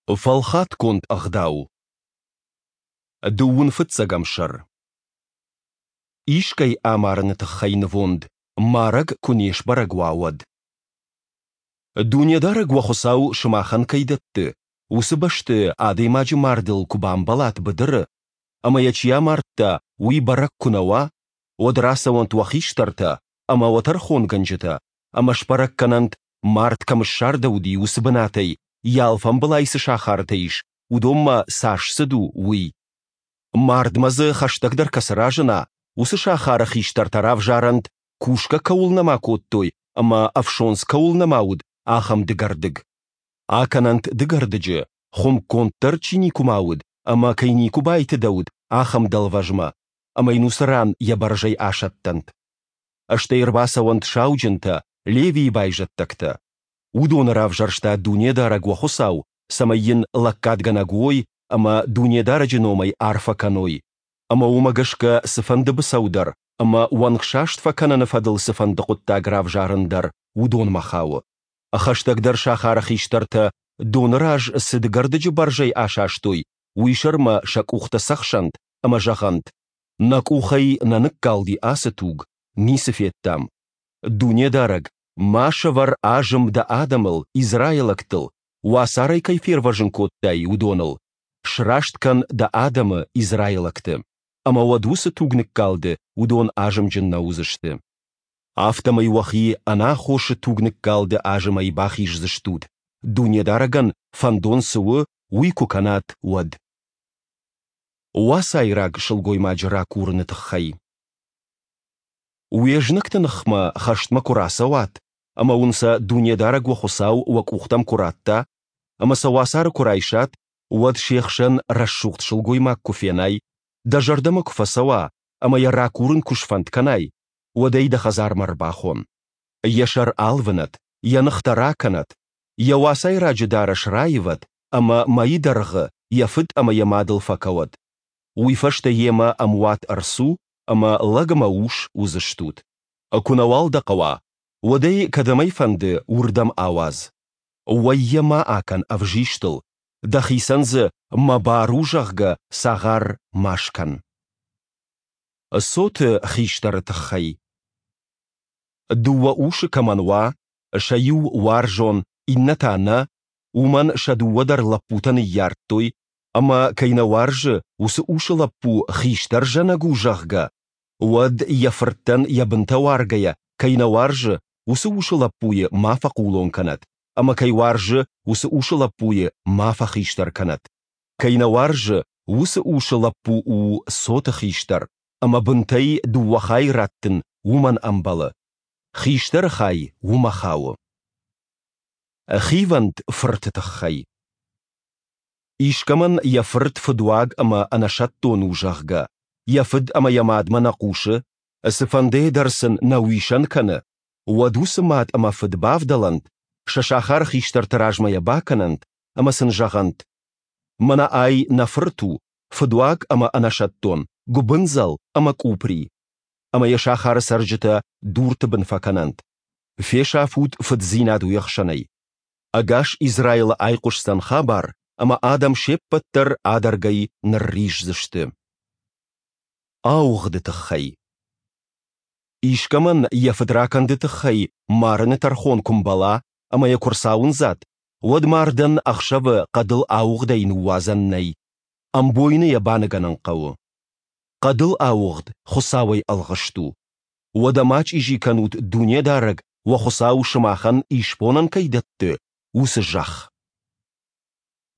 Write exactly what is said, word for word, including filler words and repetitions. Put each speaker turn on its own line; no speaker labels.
Фӕлхатгонд ӕгъдау. Дыууын фыццӕгӕм сӕр. Искӕй амарыны тыххӕй нывонд марӕг куы не сбӕрӕг уа, уӕд. Дунедарӕг уӕ Хуыцау сымахӕн кӕй дӕтты, уыцы бӕсты адӕймаджы мардыл куы бамбӕлат быдыры, ӕмӕ йӕ чи амардта, уый бӕрӕг куы нӕ уа, уӕд рацӕуӕнт уӕ хистӕртӕ ӕмӕ уӕ тӕрхонгӕнджытӕ ӕмӕ сбӕрӕг кӕнӕнт, мард кӕм ссардӕуыди, уыцы бынатӕй йӕ алфамбылай цы сахартӕ ис, уыдонмӕ цас цыд у, уый. Мардмӕ дзы хӕстӕгдӕр кӕцы разына, уыцы сахары хистӕртӕ равзарӕнт, кусгӕ кӕуыл нӕма кодтой ӕмӕ ӕфсондз кӕуыл нӕма уыд, ахӕм дыгӕрдыг. Акӕнӕнт дыгӕрдыджы, хуымгонд дӕр чи никуыма уыд ӕмӕ кӕй никуы байтыдӕуыд, ахӕм дӕлвӕзмӕ, ӕмӕ йын уыцы ран йӕ бӕрзӕй асӕттӕнт. Стӕй ӕрбацӕуӕнт сауджынтӕ, Левийы байзӕддӕгтӕ. Уыдоны равзӕрста Дунедарӕг уӕ Хуыцау, цӕмӕй йын лӕггадгӕнӕг уой ӕмӕ Дунедарӕджы номӕй арфӕ кӕной. Ӕмӕ уымӕ гӕсгӕ цыфӕнды быцӕу дӕр ӕмӕ уӕнгсаст фӕкӕныны фӕдыл цыфӕнды хъуыддаг равзарын дӕр уыдонмӕ хауы. Хӕстӕгдӕр сахары хистӕртӕ доны раз цы дыгӕрдыджы бӕрзӕй асастой, уый сӕрмӕ сӕ къухтӕ цӕхсӕнт ӕмӕ зӕгъӕнт: Нӕ къухӕй нӕ ныккалди ацы туг, ницы федтам. Дунедарӕг, ма сӕвӕр азым дӕ адӕмыл, израилӕгтыл, уацарӕй кӕй фервӕзын кодтай, уыдоныл. Сраст кӕн дӕ адӕмы, израилӕгты. Ӕмӕ уӕд уыцы тугныккалды уыдон азымджын нӕ уыдзысты. Афтӕмӕй уӕхи ӕнаххосы тугныккалды азымӕй бахиздзыстут, Дунедарӕгӕн фӕндон цы у, уый куы кӕнат, уӕд. Уацайраг сылгоймаджы ракурыны тыххӕй. Уе знӕгты ныхмӕ хӕстмӕ куы рацӕуат ӕмӕ уын сӕ Дунедарӕг уӕ Хуыцау уӕ къухтӕм куы ратта, ӕмӕ сӕ уацары куы райсат, уӕд се хсӕн рӕсугъд сылгоймаг куы фенай, дӕ зӕрдӕмӕ куы фӕцӕуа ӕмӕ йӕ ракурын куы сфӕнд кӕнай, уӕд ӕй дӕ хӕдзармӕ ӕрбахон. Йӕ сӕр алвынӕд, йӕ ныхтӕ ракӕнӕд, йӕ уацайраджы дарӕс раивӕд ӕмӕ мӕйы дӕргъы йӕ фыд ӕмӕ йӕ мадыл фӕкӕуӕд. Уый фӕстӕ йемӕ ӕмуат ӕрцу ӕмӕ лӕг ӕмӕ ус уыдзыстут. Куы нӕуал дӕ хъӕуа, уӕд ӕй, кӕдӕм ӕй фӕнды, уырдӕм ауадз. Уӕй йӕ ма акӕн ӕвзистыл, дӕхицӕн дзы, мӕ бар у, зӕгъгӕ, цагъар ма скӕн. Цоты хистӕры тыххӕй. Дыууӕ усы кӕмӕн уа, сӕ иу уарзон, иннӕ та нӕ, уымӕн сӕ дыууӕ дӕр лӕппутӕ ныййардтой, ӕмӕ кӕй нӕ уарзы, уыцы усы лӕппу хистӕр зӕнӕг у, зӕгъгӕ, уӕд йӕ фырттӕн йӕ бынтӕ уаргӕйӕ, кӕй нӕ уарзы, уыцы усы лӕппуйы ма фӕхъулон кӕнӕд, ӕмӕ кӕй уарзы, уыцы усы лӕппуйы ма фӕхистӕр кӕнӕд. Кӕй нӕ уарзы, уыцы усы лӕппу у цоты хистӕр, ӕмӕ бынтӕй дыууӕ хайы раттын уымӕн ӕмбӕлы. Хистӕры хай уымӕ хауы. Хивӕнд фырты тыххӕй. Искӕмӕн йӕ фырт фыдуаг ӕмӕ ӕнӕсӕттон у, зӕгъгӕ, йӕ фыд ӕмӕ йӕ мадмӕ нӕ хъусы, цыфӕндыйӕ дӕр сын нӕ уисӕн кӕны, уӕд уыцы мад ӕмӕ фыд бавдӕлӕнт, сӕ сахары хистӕрты размӕ йӕ бакӕнӕнт ӕмӕ сын зӕгъӕнт: Мӕнӕ ай нӕ фырт у, фыдуаг ӕмӕ ӕнӕсӕттон, гуыбындзӕл ӕмӕ къупри. Ӕмӕ йӕ сахары цӕрджытӕ дурты бын фӕкӕнӕнт. Фесафут фыддзинад уе хсӕнӕй. Ӕгас Израилы айхъуысдзӕн хабар, ӕмӕ адӕм се ппӕт дӕр адӕргӕй нырриздзысты. Ауыгъды тыххӕй. Искӕмӕн йӕ фыдракӕнды тыххӕй марыны тӕрхон куы мбӕла ӕмӕ йӕ куы рцауындзат, уӕд мардӕн ӕхсӕвы хъӕдыл ауыгъдӕй ныууадзӕн нӕй. Ӕмбойны йӕ баныгӕнын хъӕуы. Хъӕдыл ауыгъд Хуыцауӕй ӕлгъыст у. Уӕдӕ ма чъизи кӕнут Дунедарӕг, уӕ Хуыцау сымахӕн исбонӕн кӕй дӕтты, уыцы зӕхх.